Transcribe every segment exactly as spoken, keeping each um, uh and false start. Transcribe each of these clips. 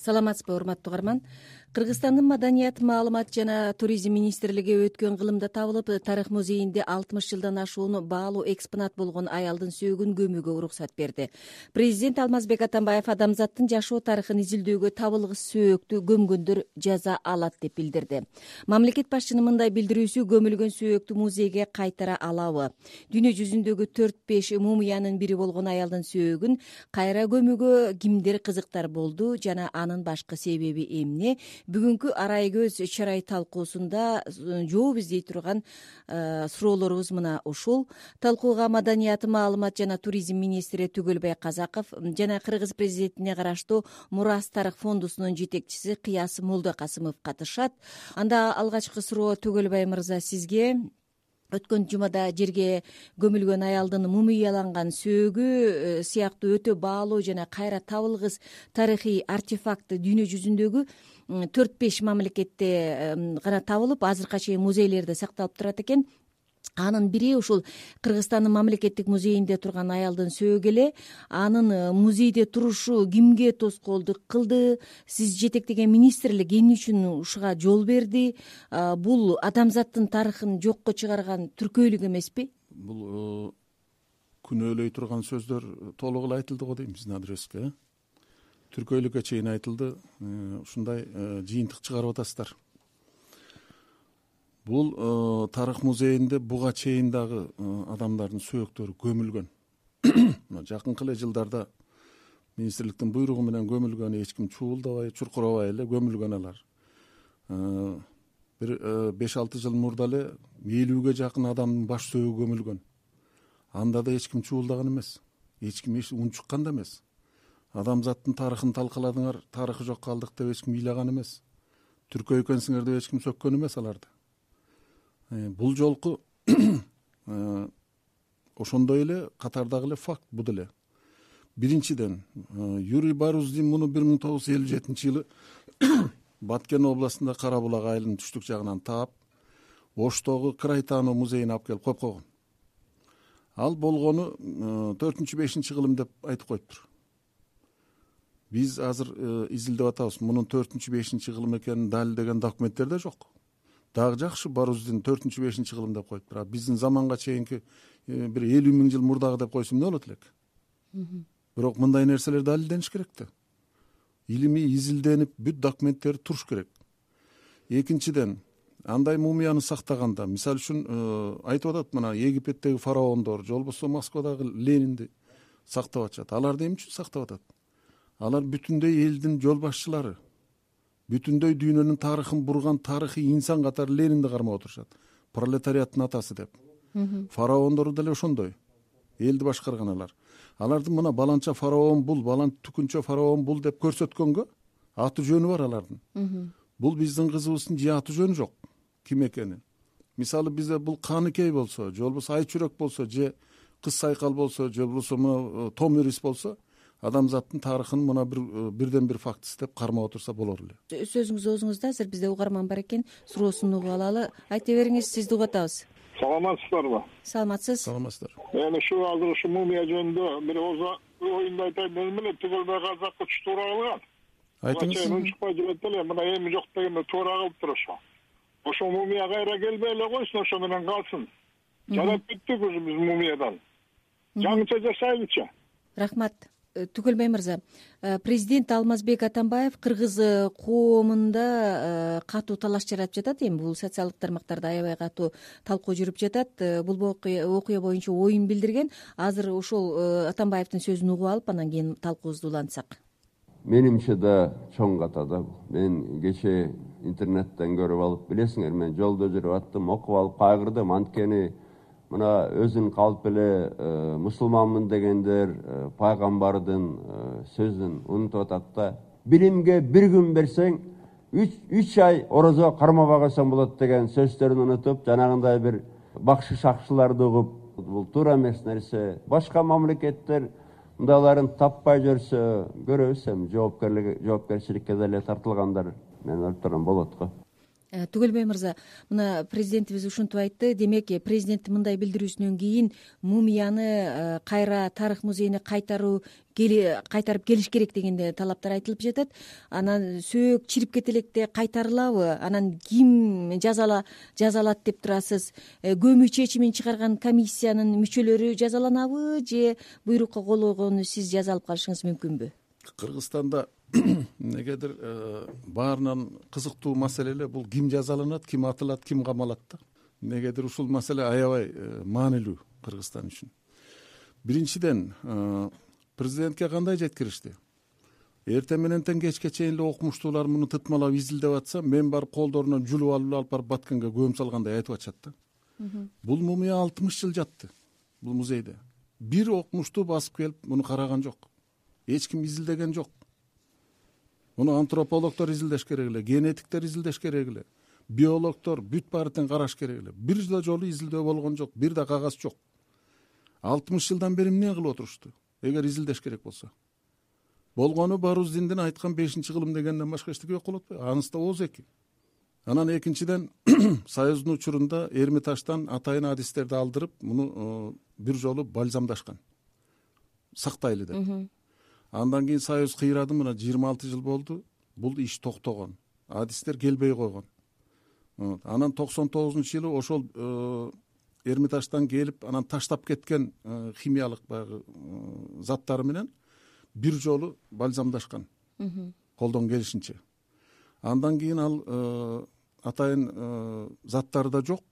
Саламатсызбы, урматтуу угарман. Кыргызстандын Маданият, маалымат жана туризм министрлиги өткөн кылымда табылып, тарых музейинде алтымыш жылдан ашуун баалуу экспонат болгон аялдын сөөгүн көмүүгө уруксат берди. Президент Алмазбек Атамбаев адамзаттын жашоо тарыхын изилдөөгө табылгыс сөөктү көмгөндөр жаза алат деп билдирди. Мамлекет башчынын мындай билдирүүсү көмүлгөн сөөктү музейге кайтара алабы? Дүйнө жүзүндөгү төрт беш мумиянын бири болгон аялдын сөөгүн кайра көмүүгө кимдер кызыктар болду жана анын башкы себеби эмне? Бүгүнкү арай көз чарай талкуусунда жооп издей турган суроолорубуз мына ушул. Талкууга Маданият, маалымат жана туризм министри Түгөлбай Казаков жана Кыргыз президентине караштуу Мурас тарых фондусунун жетекчиси Кыяс Молдокасымов катышат. Анда алгачкы суроо Түгөлбай мырза сизге. Өткөн жумада жерге көмүлгөн аялдын мумияланган сөөгү сыяктуу өтө баалуу жана кайра табылгыс тарыхый артефакт дүйнө жүзүндөгү төрт беш мамлекетте гана табылып, азыркыга чейин музейлерде сакталып турат экен. Анын бири ушул Кыргызстандын мамлекеттик музейинде турган аялдын сөөгү эле. Анын музейде турушу кимге тоскоолдук кылды? Сиз жетектеген министрлик эмне үчүн ушуга жол берди? Бул адамзаттын тарыхын жокко чыгарган түркөйлүк эмеспи? Бул күнөөлөй турган сөздөр толук эле айтылды го дейм биздин адреске. Түркөйлүккө чейин айтылды. Ушундай жыйынтык чыгарып атасыздар. Бул э, тарых музейинде буга чейин дагы э, адамдардын сөөктөрү көмүлгөн. Жакынкы эле жылдарда министрликтин буйругу менен көмүлгөн, эч ким чуулдабай, чуркурабай эле көмүлгөн алар. Э, бир беш алты жыл мурда эле элүүгө жакын адамдын баш сөөгү көмүлгөн. Анда да эч ким чуулдаган эмес. Эч ким эч унчуккан да эмес. Адамзаттын тарыхын талкаладыңар, тарыхы жок калдык деп эч ким ыйлаган эмес. Түркө экенсиңер деп эч ким сөккөн эмес аларды. Бул жолку ошондой эле катардагы эле факт бул эле. Биринчиден, Юрий Баруздин муну бир миң тогуз жүз элүү жетинчи жылы Баткен областында Кара булак айылынын түштүк жагынан таап, Оштогу Крайтануу музейине алып келип коюп койгон. Ал болгону төртүнчү бешинчи кылым деп айтып коюптур. Биз азыр изилдеп атабыз. Мунун төртүнчү бешинчи кылым экенин далилдеген документтер да жок. Дагы жакшы Баруздин төртүнчү бешинчи кылым деп коюптур. А биздин заманга чейинки бир элүү миң жыл мурдагы деп койсо эмне болот элек? Бирок мындай нерселер далилдениш керек да. Илимий изилденип, бүт документтер туруш керек. Экинчиден, андай мумияны сактаганда, мисалы үчүн айтып атат, мына Египеттеги фараондор, же болбосо Москвадагы Ленинди сактап атышат. Аларды эмне үчүн сактап атат? Алар бүтүндөй элдин жол башчылары. Бүтүндөй дүйнөнүн тарыхын бурган тарыхый инсан катары Ленинди кармап отурушат. Пролетариаттын атасы деп. Фараондору деле ошондой. Элди башкарган алар. Алардын мына баланча фараон бул, балан түкүнчө фараон бул деп көрсөткөнгө аты жөнү бар алардын. Бул биздин кызыбыздын же аты жөнү жок. Ким экени? Мисалы бизде бул Каныкей болсо, же болбосо Айчүрөк болсо, же Кыз Сайкал болсо, же болбосо мына Томирис болсо, адамзаттын тарыхын мына бир бирден бир фактысы деп кармап отурса болор эле. Сөзүңүз оозуңузда, азыр бизде угарман бар экен, суроосун угуп алалы. Айта бериңиз, сизди угуп атабыз. Саламатсыздарбы? Саламатсыз. Саламатсыздар. Эми ушу азыр ушу мумия жөнүндө бир оюнду айтайын дедим эле, Түгөлбай Казаков туура кылган. Айтыңыз. Унчукпай жүрөт эле, мына эми жок дегенде туура кылыптыр ошо. Ошо мумия кайра келбей эле койсун, ошо менен калсын. Жарап бүттүк ушу биз мумиядан. Жаңыча жашайлычы. Рахмат. Түгөлбай мырза, президент Алмазбек Атамбаев кыргыз коомунда катуу талаш жаратып жатат. Эми бул социалдык тармактарда аябай катуу талкуу жүрүп жатат. Бул окуя боюнча оюн билдирген. Азыр ошол Атамбаевдин сөзүн угуп алып, анан кийин талкуубузду улантсак. Менимче да чоң катада. Мен кече интернеттен көрүп алып, билесиңер, мен жолдо жүрүп аттым, окуп алып кайгырдым. Анткени мына өзүн калп эле мусулманмын дегендер пайгамбардын сөзүн унутуп атат да. Билимге бир күн берсең, үч ай орозо кармабай койсоң болот деген сөздөрүн унутуп, жанагындай бир бакшы шакшыларды угуп, бул туура эмес нерсе. Башка мамлекеттер мындайларын таппай жүрсө, көрөбүз эми жоопкерлик жоопкерчиликке деле тартылгандар мен ойлоп турам болот го. Түгөлбай мырза, мына президентибиз ушинтип айтты. Демек, президенттин мындай билдирүүсүнөн кийин мумияны кайра тарых музейине кайтаруу кайтарып келиш керек деген талаптар айтылып жатат. Анан сөөк чирип кете электе кайтарылабы? Анан ким жазала жазалат деп турасыз? Көмүү чечимин чыгарган комиссиянын мүчөлөрү жазаланабы же буйрукка кол койгону сиз жаза алып калышыңыз мүмкүнбү? Кыргызстанда негедир баарынан кызыктуу маселе эле бул ким жазаланат, ким атылат, ким камалат да. Негедир ушул маселе аябай маанилүү Кыргызстан үчүн. Биринчиден, президентке кандай жеткиришти? Эртең менен кечке чейин эле окумуштуулар муну тытмалап изилдеп атса, мен барып колдорунан жүлүп алып алып барып Баткенге көмүп салгандай айтып атышат да. Бул мумия алтымыш жыл жатты бул музейде. Бир окумуштуу басып келип муну караган жок. Эч ким изилдеген жок. Муну антропологдор изилдеш керек эле, генетиктер изилдеш керек эле, биологдор бүт баары тең караш керек эле. Бир да жолу изилдөө болгон жок, бир да кагаз жок. алтымыш жылдан бери эмне кылып отурушту? Эгер изилдеш керек болсо. Болгону Баруздиндин айткан бешинчи кылым дегенден башка эчтеке жок болот атпайбы? Анысы да ооз эки. Анан экинчиден Союздун учурунда Эрмитаждан атайын адистерди алдырып, муну бир жолу бальзамдашкан. Сактайлы деп. Андан кийин Союз кыйрады, мына жыйырма алты жыл болду. Бул иш токтогон. Адистер келбей койгон. Анан токсон тогузунчу жылы ошол Эрмитаждан келип, анан таштап кеткен химиялык баягы заттары менен бир жолу бальзамдашкан. Колдон келишинче. Андан кийин ал атайын заттары да жок,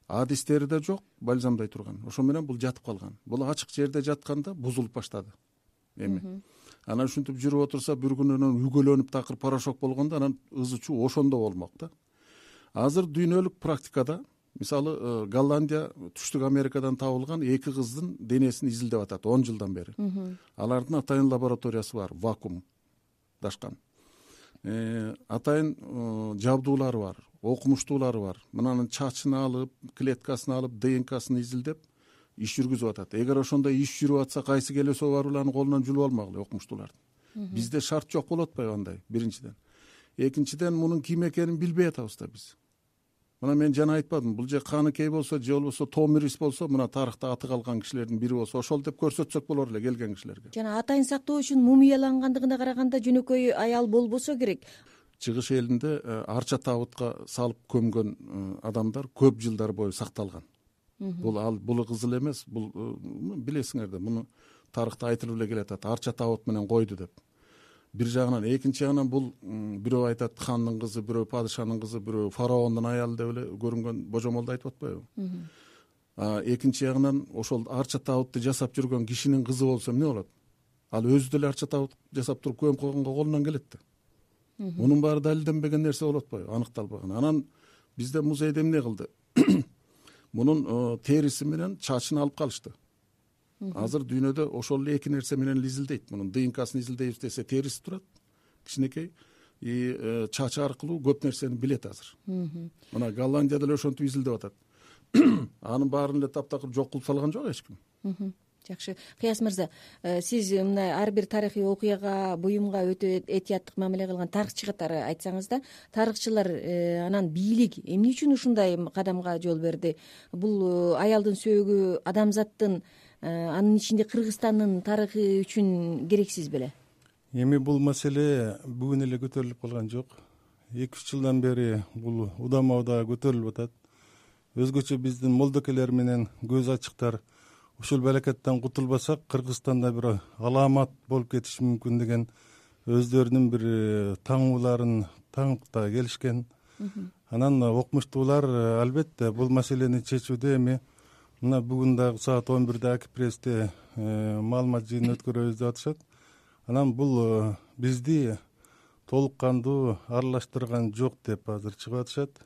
адистери да жок, бальзамдай турган. Ошо менен бул жатып калган. Бул ачык жерде жатканда бузулуп баштады. Эми анан ушинтип жүрүп отурса, бир күнүнөн үгөлөнүп такыр порошок болгондо анан ызы чуу ошондо болмок да. Азыр дүйнөлүк практикада, мисалы, Голландия Түштүк Америкадан табылган эки кыздын денесин изилдеп атат он жылдан бери. Алардын атайын лабораториясы бар, вакуумдашкан. Атайын жабдуулары бар, окумуштуулары бар. Мынанын чачын алып, клеткасын алып, ДНКсын изилдеп иш жүргүзүп атат. Эгер ошондой иш жүрүп атса, кайсы келесо барууларынын колунан жүлүп алмагыла окумуштуулардын. Бизде шарт жок болот атпайбы андай? Биринчиден. Экинчиден, мунун ким экенин билбей атабыз да биз. Мына мен жана айтпадым, бул же Каныкей болсо, же болбосо Томирис болсо, мына тарыхта аты калган кишилердин бири болсо, ошол деп көрсөтсөк болор эле келген кишилерге. Жана атайын сактоо үчүн мумиялангандыгына караганда жөнөкөй аял болбосо керек. Чыгыш элинде арча табытка салып көмгөн адамдар көп жылдар бою сакталган. Бул ал бул кызыл эмес, бул билесиңер да, муну тарыхта айтылып эле келатат. Арча табыт менен койду деп. Бир жагынан, экинчи жагынан бул бирөө айтат хандын кызы, бирөө падышанын кызы, бирөө фараондун аялы деп эле көрүнгөн божомолду айтып атпайбы? Экинчи жагынан, ошол арча табытты жасап жүргөн кишинин кызы болсо эмне болот? Ал өзү деле арча табыт жасап туруп көмүп койгонго колунан келет да. Мунун баары далилденбеген нерсе болуп атпайбы? Аныкталбаган. Анан бизде музейде эмне кылды? Мунун териси менен чачын алып калышты. Азыр дүйнөдө ошол эле эки нерсе менен изилдейт. Мунун ДНКсын изилдейбиз десе, териси турат, кичинекей, и чачы аркылуу көп нерсени билет азыр. Мына Голландия деле ошентип изилдеп атат. Анын баарын эле таптакыр жок кылып салган жок эч ким. Жакшы. Кыяз мырза, сиз мына ар бир тарыхый окуяга, буюмга өтө этияттык мамиле кылган тарыхчы катары айтсаңыз да, тарыхчылар анан бийлик эмне үчүн ушундай кадамга жол берди? Бул аялдын сөөгү адамзаттын, анын ичинде Кыргызстандын тарыхы үчүн керексиз беле? Эми бул маселе бүгүн эле көтөрүлүп калган жок. эки үч жылдан бери бул удама удаа көтөрүлүп атат. Өзгөчө биздин молдокелер менен көз ачыктар ушул балакеттен кутулбасак, Кыргызстанда бир аламат болуп кетиши мүмкүн деген өздөрүнүн бир таңууларын таңыкта келишкен. Анан окумуштуулар албетте бул маселени чечүүдө эми мына бүгүн дагы саат он бирде Акипрессте маалымат жыйыны өткөрөбүз деп атышат. Анан бул бизди толук кандуу аралаштырган жок деп азыр чыгып атышат.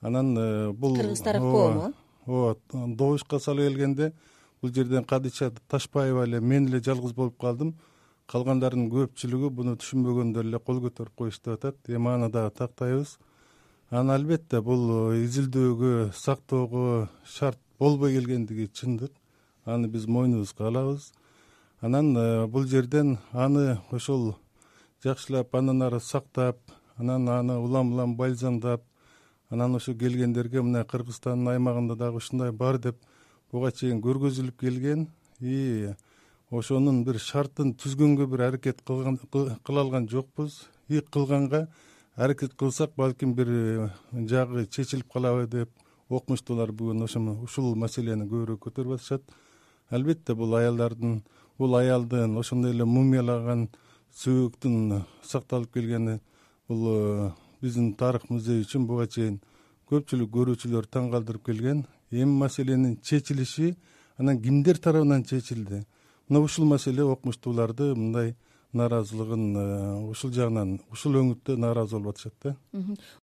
Анан бул Кыргыз тарап коому? Ооба, добушка сала келгенде бул жерден Кадича Ташпаева эле мен эле жалгыз болуп калдым. Калгандарынын көпчүлүгү буну түшүнбөгөндөр эле кол көтөрүп коюштуп атат. Эми аны дагы тактайбыз. Анан албетте бул изилдөөгө, сактоого шарт болбой келгендиги чындык. Аны биз мойнубузга алабыз. Анан бул жерден аны ошол жакшылап андан ары сактап, анан аны улам улам бальзамдап, анан ошо келгендерге мына Кыргызстандын аймагында дагы ушундай бар деп буга чейин көргөзүлүп келген. И ошонун бир шартын түзгөнгө бир аракет кылган кыла алган жокпуз. И кылганга аракет кылсак балким бир жагы чечилип калабы деп окумуштуулар бүгүн ошо ушул маселени көбүрөөк көтөрүп атышат. Албетте бул аялдардын, бул аялдын ошондой эле мумиялаган сөөктүн сакталып келгени бул биздин тарых музей үчүн буга чейин көпчүлүк көрүүчүлөр таң калтырып келген. Эми маселенин чечилиши анан кимдер тарабынан чечилди? Мына ушул маселе окумуштууларды мындай нааразылыгын ушул жагынан, ушул өңүттө нааразы болуп атышат да.